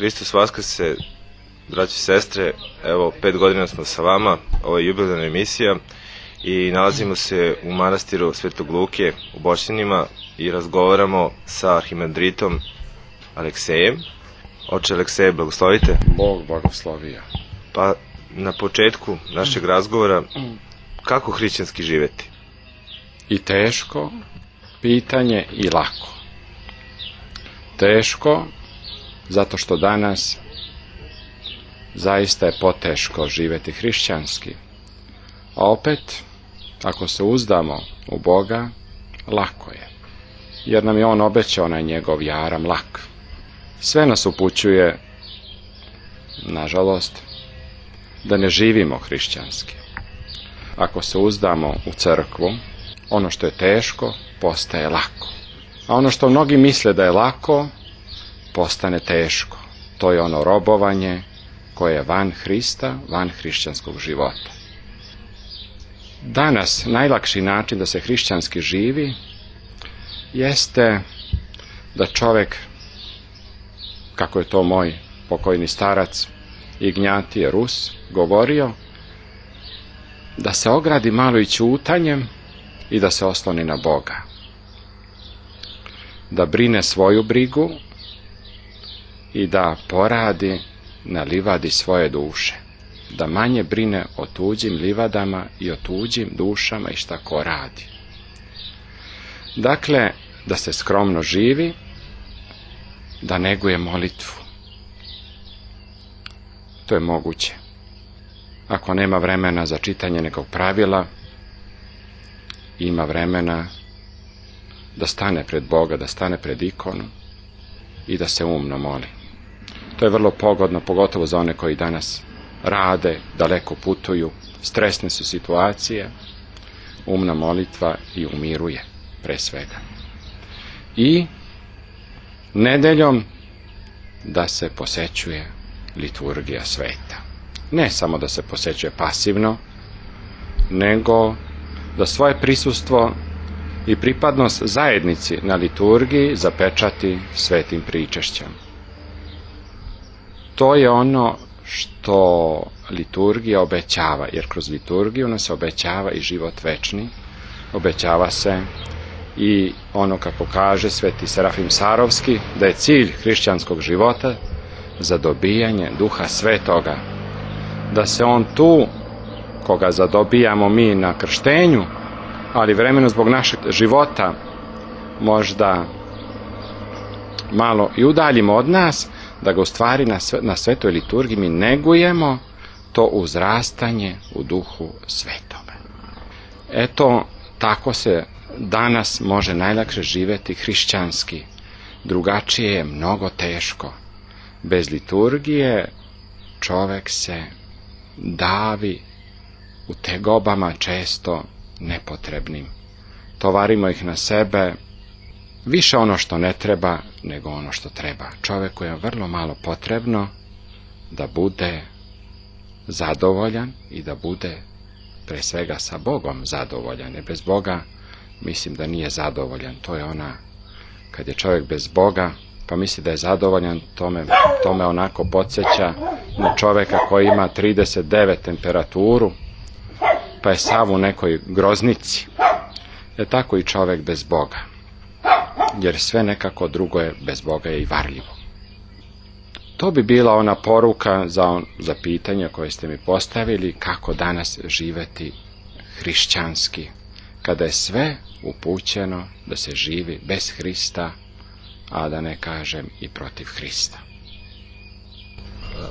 Hristos Vaskrse, braći i sestre, evo 5 godina smo sa vama, ovo je jubilarna emisija i nalazimo se u manastiru Svetog Luke u Borštinima i razgovaramo sa arhimandritom Aleksejem. Oče Alekseje, blagoslovite. Bog blagoslovija. Pa na početku našeg razgovora, kako hrišćanski živeti? I teško pitanje i lako. Teško zato što danas zaista je poteško živjeti hrišćanski. A opet, ako se uzdamo u Boga, lako je. Jer nam je On obećao onaj njegov jaram lak. Sve nas upućuje, nažalost, da ne živimo hrišćanski. Ako se uzdamo u crkvu, ono što je teško postaje lako. A ono što mnogi misle da je lako, postane teško. To je ono robovanje koje je van Hrista, van hrišćanskog života. Danas najlakši način da se hrišćanski živi jeste da čovjek, kako je to moj pokojni starac Ignjatije Rus govorio, da se ogradi malo i ćutanjem i da se osloni na Boga. Da brine svoju brigu i da poradi na livadi svoje duše. Da manje brine o tuđim livadama i o tuđim dušama i šta ko radi. Dakle, da se skromno živi, da neguje molitvu. To je moguće. Ako nema vremena za čitanje nekog pravila, ima vremena da stane pred Boga, da stane pred ikonu i da se umno moli. To je vrlo pogodno, pogotovo za one koji danas rade, daleko putuju, stresne su situacije, umna molitva i umiruje, pre svega. I nedeljom da se posećuje liturgija sveta. Ne samo da se posećuje pasivno, nego da svoje prisustvo i pripadnost zajednici na liturgiji zapečati svetim pričešćem. To je ono što liturgija obećava, jer kroz liturgiju nam se obećava i život večni, obećava se i ono kako kaže sveti Serafim Sarovski, da je cilj hrišćanskog života zadobijanje Duha Svetoga, da se on tu, koga zadobijamo mi na krštenju, ali vremeno zbog našeg života možda malo i udaljimo od nas, da ga u stvari na svetoj liturgiji mi negujemo to uzrastanje u Duhu Svetome. Eto, tako se danas može najlakše živjeti hrišćanski. Drugačije je mnogo teško. Bez liturgije čovjek se davi u tegobama često nepotrebnim. Tovarimo ih na sebe, više ono što ne treba nego ono što treba. Čovjeku je vrlo malo potrebno da bude zadovoljan i da bude pre svega sa Bogom zadovoljan. Jer bez Boga mislim da nije zadovoljan. To je ona, kad je čovjek bez Boga pa misli da je zadovoljan, tome onako podsjeća na čovjeka koji ima 39 temperaturu pa je sav u nekoj groznici. Tako i čovjek bez Boga. Jer sve nekako drugo je bez Boga je i varljivo. To bi bila ona poruka za pitanje koje ste mi postavili, kako danas živeti hrišćanski, kada je sve upućeno da se živi bez Hrista, a da ne kažem i protiv Hrista.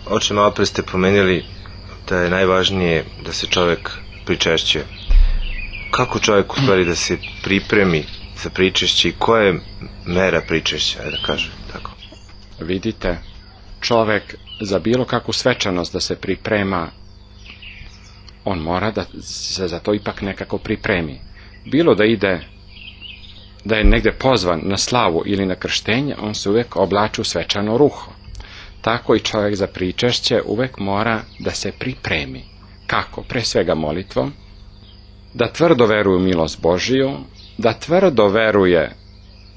Oče, malo pre ste pomenuli da je najvažnije da se čovjek pričešćuje. Kako čovjek u stvari da se pripremi za pričešće i koja je mera pričešća, da kažem tako? Vidite, čovjek za bilo kakvu svečanost da se priprema, on mora da se za to ipak nekako pripremi. Bilo da je negdje pozvan na slavu ili na krštenje, on se uvijek oblači u svečano ruho. Tako i čovjek za pričešće uvijek mora da se pripremi. Kako? Pre svega molitvom, da tvrdo veruje u milost Božiju, da tvrdo veruje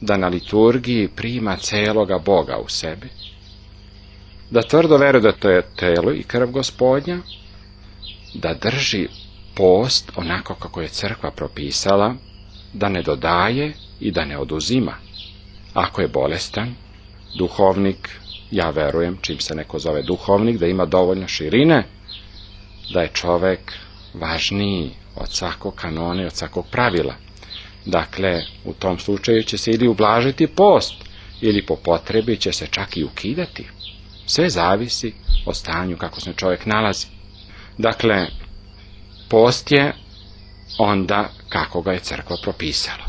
da na liturgiji prima celoga Boga u sebi, da tvrdo veruje da to je telo i krv Gospodnja, da drži post onako kako je crkva propisala, da ne dodaje i da ne oduzima. Ako je bolestan, duhovnik, ja verujem, čim se neko zove duhovnik, da ima dovoljno širine, da je čovek važniji od svakog kanona i od svakog pravila. Dakle, u tom slučaju će se ili ublažiti post, ili po potrebi će se čak i ukidati. Sve zavisi od stanju kako se čovjek nalazi. Dakle, post je onda kako ga je crkva propisala.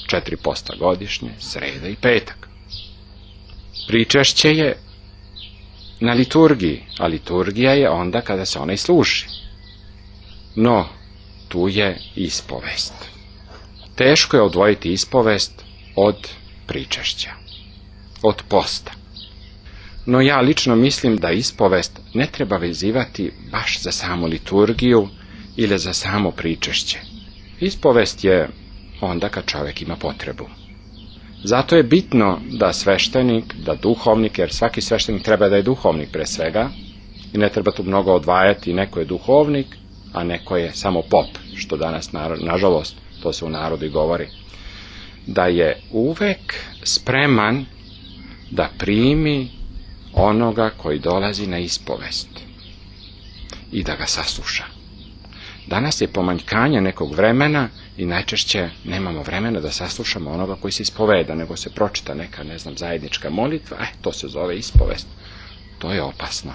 4 posta godišnje, sreda i petak. Pričešće je na liturgiji, a liturgija je onda kada se ona i služi. No, tu je ispovest. Teško je odvojiti ispovest od pričešća, od posta. No ja lično mislim da ispovest ne treba vezivati baš za samu liturgiju ili za samo pričešće. Ispovest je onda kad čovjek ima potrebu. Zato je bitno da sveštenik, da duhovnik, jer svaki sveštenik treba da je duhovnik pre svega, i ne treba tu mnogo odvajati, neko je duhovnik, a neko je samo pop, što danas, nažalost, to se u narodu i govori, da je uvek spreman da primi onoga koji dolazi na ispovest i da ga sasluša. Danas je pomanjkanje nekog vremena i najčešće nemamo vremena da saslušamo onoga koji se ispoveda, nego se pročita neka, zajednička molitva, to se zove ispovest. To je opasno.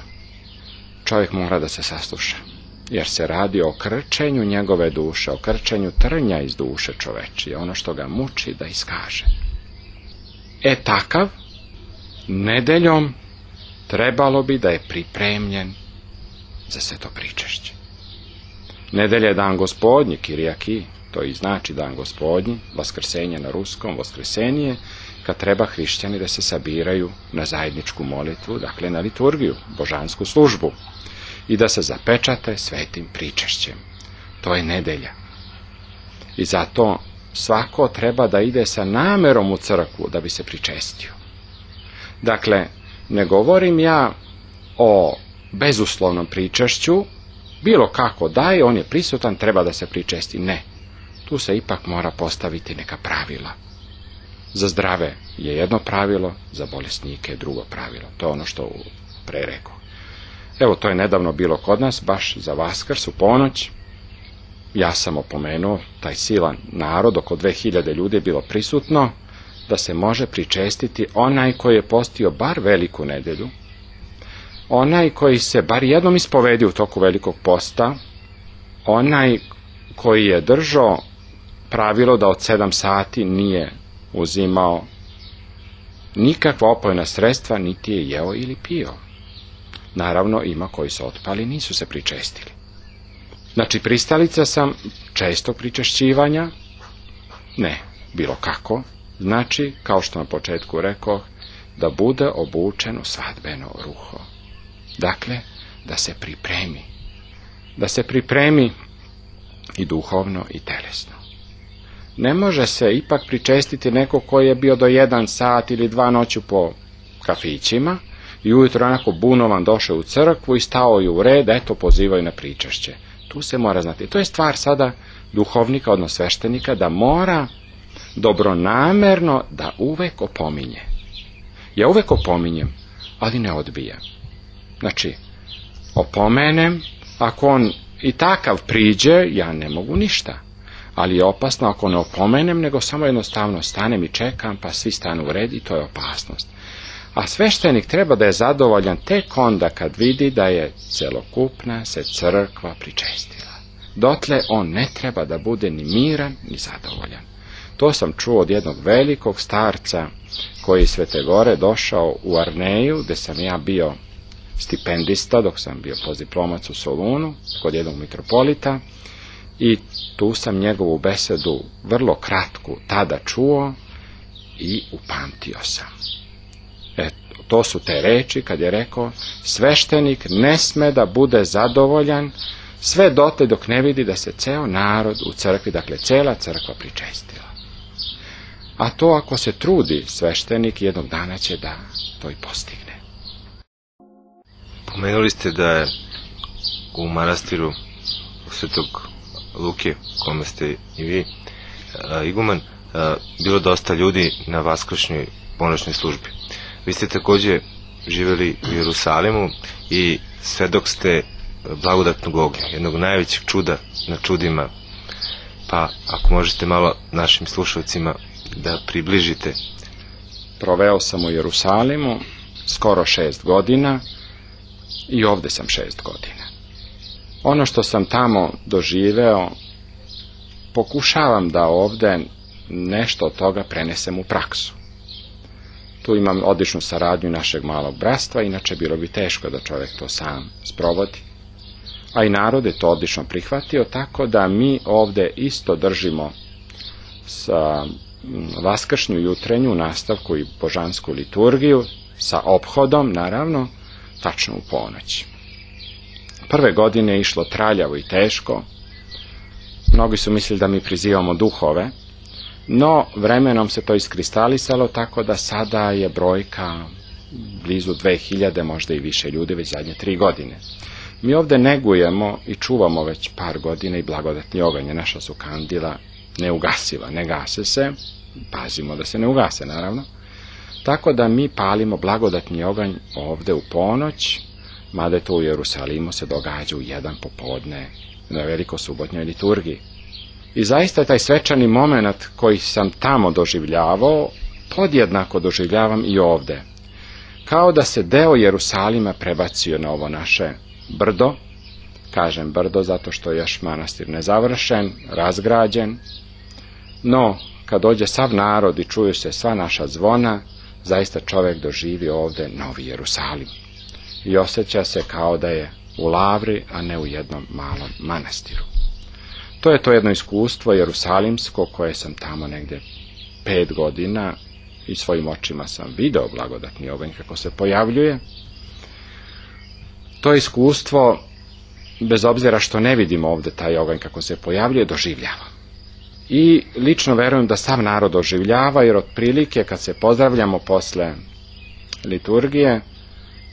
Čovjek mora da se sasluša, jer se radi o krčenju njegove duše, o krčenju trnja iz duše čovečije, ono što ga muči da iskaže. Takav, nedeljom trebalo bi da je pripremljen za sve to pričešće. Nedelja je dan Gospodnji, Kirijaki, to i znači dan Gospodnji, vaskrsenje na ruskom, vaskrsenje, kad treba hrišćani da se sabiraju na zajedničku molitvu, dakle na liturgiju, božansku službu, i da se zapečate svetim pričešćem. To je nedelja. I zato svako treba da ide sa namerom u crkvu da bi se pričestio. Dakle, ne govorim ja o bezuslovnom pričešću, bilo kako daje, on je prisutan, treba da se pričesti. Ne. Tu se ipak mora postaviti neka pravila. Za zdrave je jedno pravilo, za bolesnike je drugo pravilo. To je ono što pre rekao. Evo, to je nedavno bilo kod nas, baš za Vaskrs u ponoć. Ja sam opomenuo, taj silan narod, oko 2000 ljudi je bilo prisutno, da se može pričestiti onaj koji je postio bar veliku nedelju, onaj koji se bar jednom ispovedio u toku velikog posta, onaj koji je držao pravilo da od 7 sati nije uzimao nikakva opojna sredstva, niti je jeo ili pio. Naravno, ima koji su otpali, nisu se pričestili. Znači, pristalica sam čestog pričešćivanja, ne, bilo kako, znači, kao što na početku rekao, da bude obučen u svadbeno ruho. Dakle, da se pripremi i duhovno i telesno. Ne može se ipak pričestiti neko koji je bio do 1 sat ili 2 noću po kafićima i ujutro onako bunovan došao u crkvu i stao je u red, pozivaju na pričešće. Tu se mora znati. To je stvar sada duhovnika, odnosno sveštenika, da mora dobronamerno da uvek opominje. Ja uvek opominjem, ali ne odbijam. Znači, opomenem, ako on i takav priđe, ja ne mogu ništa. Ali je opasno ako ne opomenem, nego samo jednostavno stanem i čekam, pa svi stanu u red i to je opasnost. A sveštenik treba da je zadovoljan tek onda kad vidi da je celokupna se crkva pričestila. Dotle on ne treba da bude ni miran, ni zadovoljan. To sam čuo od jednog velikog starca koji iz Svete Gore došao u Arneju, gde sam ja bio stipendista dok sam bio postdiplomac u Solunu kod jednog mitropolita, i tu sam njegovu besedu vrlo kratku tada čuo i upamtio sam. To su te reči kad je rekao: sveštenik ne sme da bude zadovoljan sve dotle dok ne vidi da se ceo narod u crkvi, dakle cela crkva, pričestila. A to ako se trudi sveštenik, jednog dana će da to i postigne. Pomenuli ste da je u manastiru Svetog Luke, kome ste i vi iguman, bilo dosta ljudi na vaskršnjoj ponoćnoj službi. Vi ste takođe živeli u Jerusalimu i svedok ste blagodatnog ognja, jednog najvećeg čuda na čudima. Pa ako možete malo našim slušalcima da približite. Proveo sam u Jerusalimu skoro 6 godina i ovde sam 6 godina. Ono što sam tamo doživeo, pokušavam da ovde nešto od toga prenesem u praksu. Tu imam odličnu saradnju našeg malog bratstva, inače bilo bi teško da čovjek to sam sprovodi. A i narod je to odlično prihvatio, tako da mi ovde isto držimo sa vaskršnju jutrenju nastavku i božansku liturgiju, sa ophodom, naravno, tačno u ponoć. Prve godine je išlo traljavo i teško. Mnogi su mislili da mi prizivamo duhove, no vremenom se to iskristalisalo, tako da sada je brojka blizu 2000, možda i više ljudi, već zadnje 3 godine. Mi ovde negujemo i čuvamo već par godina i blagodatni oganj. Naša su kandila neugasiva, ne gase se, pazimo da se ne ugase, naravno. Tako da mi palimo blagodatni oganj ovde u ponoć, mada to u Jerusalimu se događa u 1 popodne na velikosubotnjoj liturgiji. I zaista taj svečani moment koji sam tamo doživljavao, podjednako doživljavam i ovde. Kao da se deo Jerusalima prebacio na ovo naše brdo, kažem brdo zato što je još manastir nezavršen, razgrađen, no kad dođe sav narod i čuju se sva naša zvona, zaista čovjek doživi ovde novi Jerusalim i osjeća se kao da je u lavri, a ne u jednom malom manastiru. To je to jedno iskustvo jerusalimsko koje sam tamo negdje 5 godina i svojim očima sam video blagodatni oganj kako se pojavljuje. To iskustvo, bez obzira što ne vidimo ovde taj oganj kako se pojavljuje, doživljava. I lično verujem da sav narod doživljava, jer otprilike kad se pozdravljamo posle liturgije,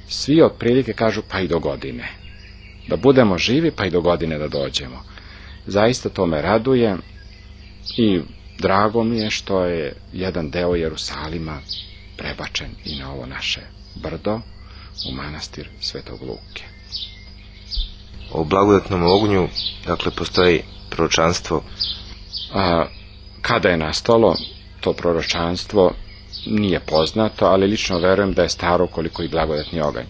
svi otprilike kažu pa i do godine. Da budemo živi pa i do godine da dođemo. Zaista to me raduje i drago mi je što je jedan deo Jerusalima prebačen i na ovo naše brdo u manastir Svetog Luke. O blagodatnom ognju, dakle, postoji proročanstvo. Kada je nastalo to proročanstvo nije poznato, ali lično verujem da je staro koliko i blagodatni oganj.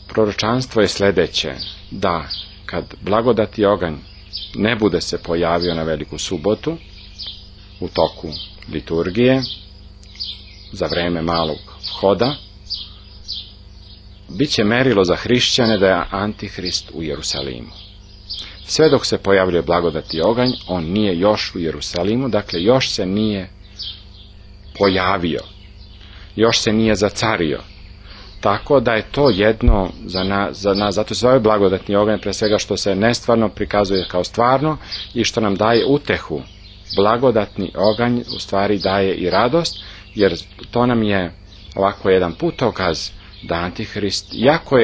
Proročanstvo je sledeće, da kad blagodati oganj ne bude se pojavio na Veliku subotu u toku liturgije za vreme malog hoda, bit će merilo za hrišćane da je Antihrist u Jerusalimu. Sve dok se pojavljuje blagodati oganj, on nije još u Jerusalimu, dakle još se nije pojavio, još se nije zacario. Tako da je to jedno za nas, zato se ovaj blagodatni oganj pre svega što se nestvarno prikazuje kao stvarno i što nam daje utehu. Blagodatni oganj u stvari daje i radost, jer to nam je ovako jedan putokaz da Antihrist, iako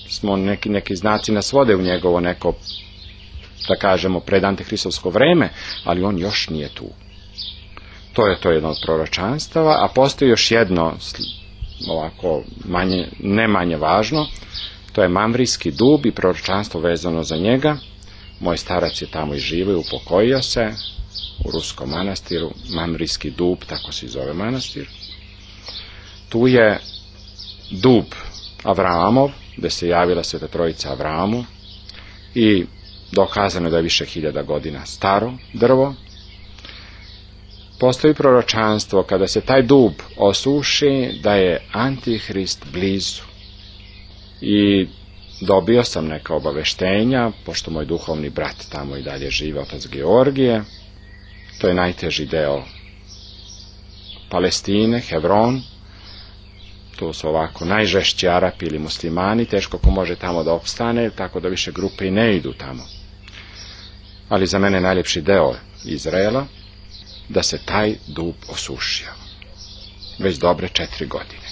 smo neki znaci nas vode u njegovo neko, da kažemo, pred antihristovsko vreme, ali on još nije tu. To je to jedno od proročanstava, a postoji još jedno, ovako ne manje važno, to je Mamrijski dub i proročanstvo vezano za njega. Moj starac je tamo i živio, upokojio se u ruskom manastiru, Mamrijski dub, tako se zove manastir. Tu je dub Avraamov, gde se javila Sveta Trojica Avramu i dokazano je da je više 1000 godina staro drvo. Postoji proročanstvo kada se taj dub osuši da je Antihrist blizu. I dobio sam neka obaveštenja, pošto moj duhovni brat tamo i dalje žive, otac Georgije. To je najteži deo Palestine, Hebron. Tu su ovako najžešći Arapi ili muslimani, teško ko može tamo da opstane, tako da više grupe i ne idu tamo. Ali za mene najljepši deo Izraela, da se taj dub osušio. Već dobre 4 godine.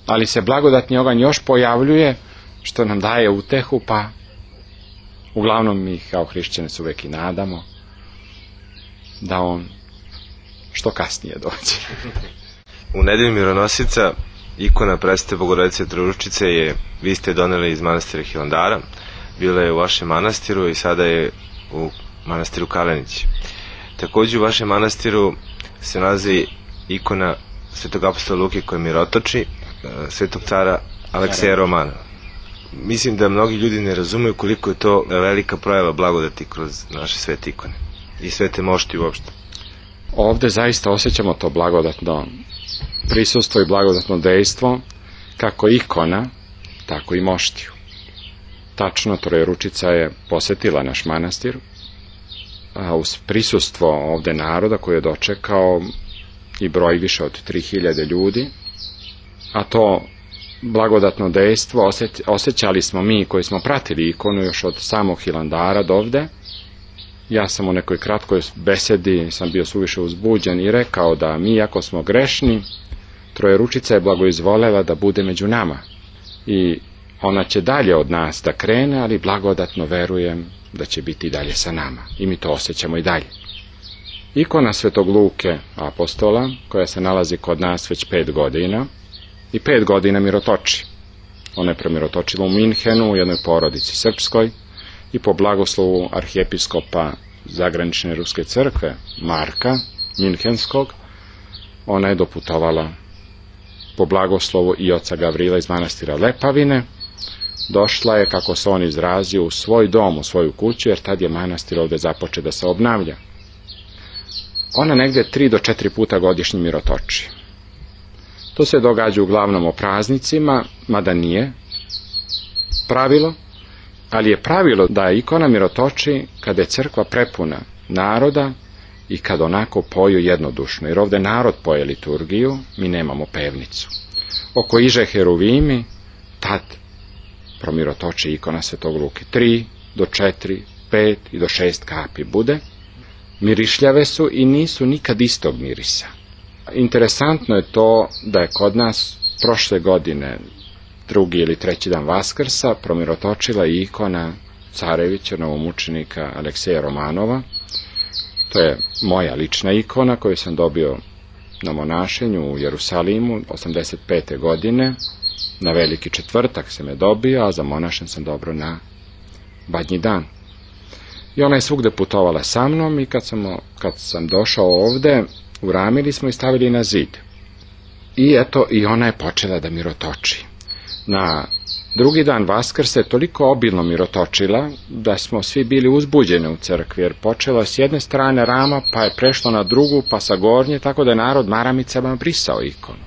Ali se blagodatni oganj još pojavljuje što nam daje utehu, pa uglavnom mi kao hrišćani se uvek i nadamo da on što kasnije dođe. U nedelju Mironosica ikona Presvete Bogorodice Trojeručice vi ste doneli iz manastira Hilandara, bila je u vašem manastiru i sada je u manastiru Kalenić. Takođe u vašem manastiru se nalazi ikona Svetog apostola Luke koji mirotoči, Svetog cara Alekseja Romanova. Mislim da mnogi ljudi ne razumeju koliko je to velika projava blagodati kroz naše svete ikone i svete mošti uopšte. Ovde zaista osjećamo to blagodatno prisustvo i blagodatno dejstvo, kako ikona, tako i moštiju. Tačno, Trojeručica je posetila naš manastir, a uz prisustvo ovde naroda koji je dočekao i broj više od 3000 ljudi, a to blagodatno dejstvo osjećali smo mi koji smo pratili ikonu još od samog Hilandara do ovde. Ja sam u nekoj kratkoj besedi sam bio suviše uzbuđen i rekao da mi, ako smo grešni, Trojeručica je blagoizvolela da bude među nama i ona će dalje od nas da krene, ali blagodatno verujem da će biti dalje sa nama i mi to osjećamo i dalje. Ikona Svetog Luke apostola, koja se nalazi kod nas već 5 godina i 5 godina mirotoči. Ona je premirotočila u Minhenu, u jednoj porodici srpskoj, i po blagoslovu arhijepiskopa zagranične ruske crkve Marka Minhenskog, ona je doputovala po blagoslovu i oca Gavrila iz manastira Lepavine. Došla je, kako se on izrazio, u svoj dom, u svoju kuću, jer tad je manastir ovde započeo da se obnavlja. Ona negde 3 do 4 puta godišnje mirotoči. To se događa uglavnom o praznicima, mada nije pravilo, ali je pravilo da ikona mirotoči kada je crkva prepuna naroda i kad onako poju jednodušno, jer ovde narod poje liturgiju, mi nemamo pevnicu. Oko iže heruvimi, tad promirotoči ikona Svetog Luke. 3 do 4, 5 i do 6 kapi bude. Mirišljave su i nisu nikad istog mirisa. Interesantno je to da je kod nas prošle godine 2. ili 3. dan Vaskrsa promirotočila i ikona carevića novomučenika Alekseja Romanova. To je moja lična ikona koju sam dobio na monašenju u Jerusalimu 85. godine. Na Veliki četvrtak sam je dobio, a za monašen sam dobro na Badnji dan. I ona je svugde putovala sa mnom i kad sam došao ovde, uramili smo i stavili na zid. I eto, i ona je počela da mirotoči. Na 2. dan Vaskrsa je toliko obilno mirotočila da smo svi bili uzbuđeni u crkvi, jer počela s jedne strane rama, pa je prešlo na drugu, pa sa gornje, tako da je narod maramicama brisao ikonu.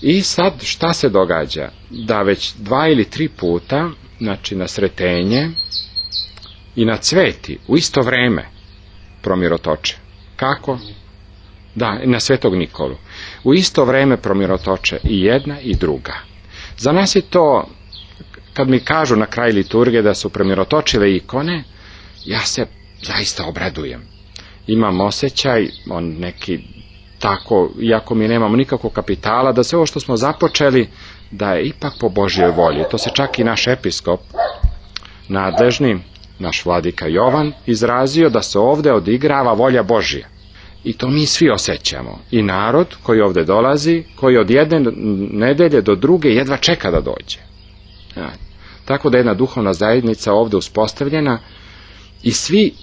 I sad šta se događa? Da već 2 ili 3 puta, znači na Sretenje i na Cveti, u isto vreme promirotoče. Kako? Da, na Svetog Nikolu. U isto vreme promirotoče i jedna i druga. Za nas je to, kad mi kažu na kraj liturgije da su premirotočile ikone, ja se zaista obradujem. Imam osjećaj, neki tako, iako mi nemamo nikakvog kapitala, da sve ovo što smo započeli, da je ipak po Božjoj volji. To se čak i naš episkop, nadležni, naš vladika Jovan, izrazio da se ovde odigrava volja Božja. I to mi svi osjećamo. I narod koji ovde dolazi, koji od jedne nedelje do druge jedva čeka da dođe. Tako da je jedna duhovna zajednica ovde uspostavljena i svi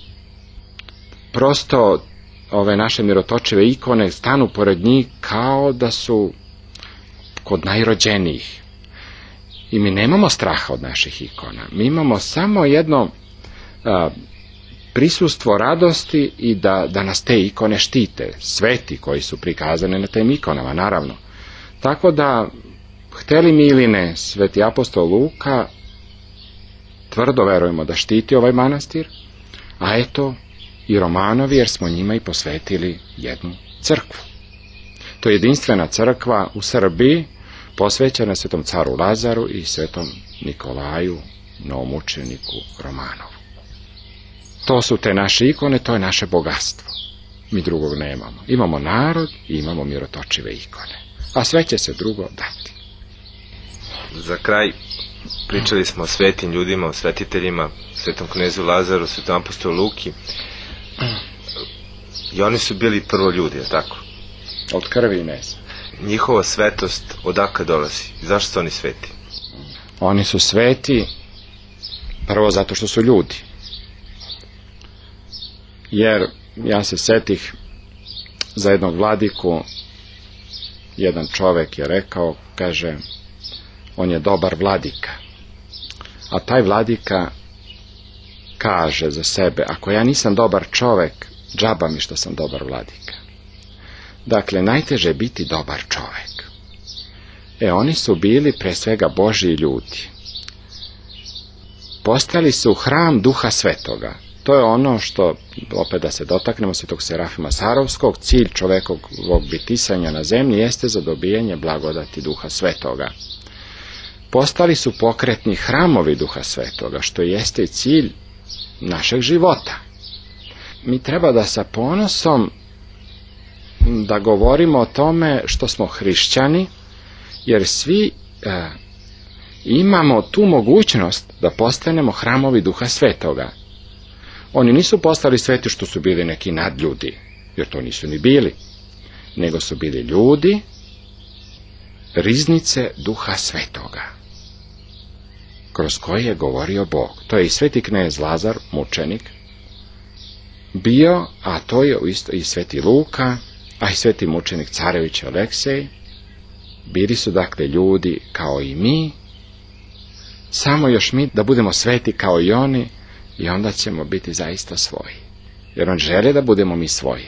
prosto ove naše mirotočive ikone stanu pored njih kao da su kod najrođenijih. I mi nemamo straha od naših ikona. Mi imamo samo jedno prisustvo radosti i da nas te ikone štite, sveti koji su prikazane na tim ikonama, naravno. Tako da, hteli mi ili ne, Sveti apostol Luka tvrdo verujemo da štiti ovaj manastir, a eto i Romanovi, jer smo njima i posvetili jednu crkvu. To je jedinstvena crkva u Srbiji, posvećena Svetom caru Lazaru i Svetom Nikolaju, novomučeniku Romanovu. To su te naše ikone, to je naše bogatstvo. Mi drugog nemamo. Imamo narod i imamo mirotočive ikone. A sve će se drugo dati. Za kraj, Pričali smo o svetim ljudima, o svetiteljima, svetom knezu Lazaru, svetom apostolu Luki. I oni su bili prvo ljudi, je tako? Od krvi i mesa. Njihova svetost odakle dolazi? Zašto su oni sveti? Oni su sveti prvo zato što su ljudi. Jer ja se setih za jednog vladiku, jedan čovek je rekao, kaže, on je dobar vladika. A taj vladika kaže za sebe, ako ja nisam dobar čovek, džaba mi što sam dobar vladika. Dakle, najteže je biti dobar čovek. Oni su bili pre svega Božji ljudi. Postali su hram Duha Svetoga. To je ono što, opet da se dotaknemo svetog Serafima Sarovskog, cilj čovekovog bitisanja na zemlji jeste za dobijanje blagodati Duha Svetoga. Postali su pokretni hramovi Duha Svetoga, što jeste i cilj našeg života. Mi treba da sa ponosom da govorimo o tome što smo hrišćani, jer svi imamo tu mogućnost da postanemo hramovi Duha Svetoga. Oni nisu postali sveti što su bili neki nadljudi, jer to nisu ni bili, nego su bili ljudi, riznice Duha Svetoga, kroz koje je govorio Bog. To je i sveti knez Lazar, mučenik, bio, a to je isto i sveti Luka, a i sveti mučenik Carević Aleksej. Bili su dakle ljudi kao i mi, samo još mi da budemo sveti kao i oni, i onda ćemo biti zaista svoji. Jer on želi da budemo mi svoji.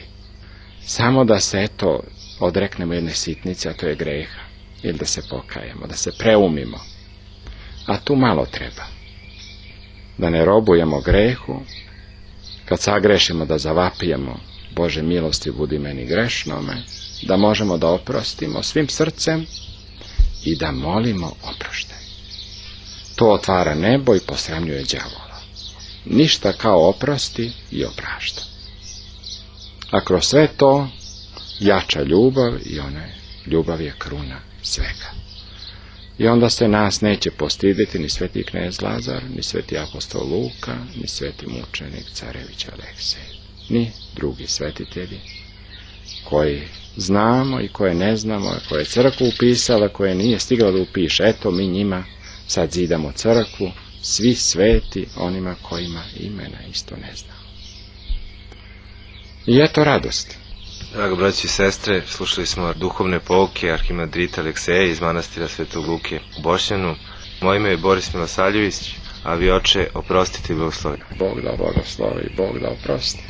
Samo da se odreknemo jedne sitnice, a to je greha. Ili da se pokajemo, da se preumimo. A tu malo treba. Da ne robujemo grehu, kad sagrešimo da zavapijemo, Bože milosti budi meni grešnome, da možemo da oprostimo svim srcem i da molimo oproštaj. To otvara nebo i posramljuje đavola. Ništa kao oprosti i oprašta. A kroz sve to jača ljubav i ljubav je kruna svega. I onda se nas neće postiditi ni sveti knez Lazar, ni sveti apostol Luka, ni sveti mučenik Carević Aleksej, ni drugi svetitelji koji znamo i koje ne znamo, koje je crkva upisala, koje nije stigla da upiše. Eto, mi njima sad zidamo crkvu, svi sveti onima kojima imena isto ne znamo. I eto radost. Drago braći i sestre, slušali smo duhovne pouke arhimandrita Alekseja iz manastira Svetog Luke u Bošnjanu. Moje ime je Boris Milosaljević, a vi, oče, oprostite i blagoslovite. Bog da blagoslovi, Bog da oprosti.